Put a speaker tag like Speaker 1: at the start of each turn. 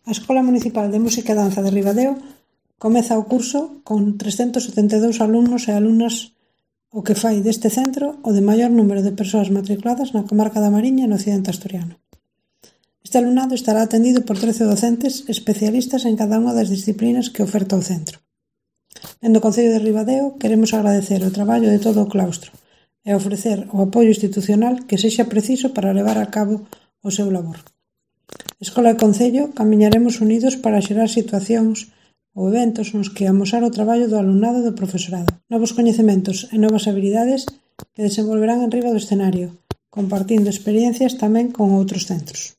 Speaker 1: A Escola Municipal de Música e Danza de Ribadeo comeza o curso con 372 alumnos e alumnas, o que fai deste centro o de maior número de persoas matriculadas na comarca da Mariña e no occidente asturiano. Este alumnado estará atendido por 13 docentes especialistas en cada unha das disciplinas que oferta o centro. Dende o Concello de Ribadeo queremos agradecer o traballo de todo o claustro e ofrecer o apoio institucional que sexa preciso para levar a cabo o seu labor. Escola e Concello camiñaremos unidos para xerar situacións ou eventos nos que amosar o traballo do alumnado e do profesorado, novos coñecementos e novas habilidades que desenvolverán enriba do escenario, compartindo experiencias tamén con outros centros.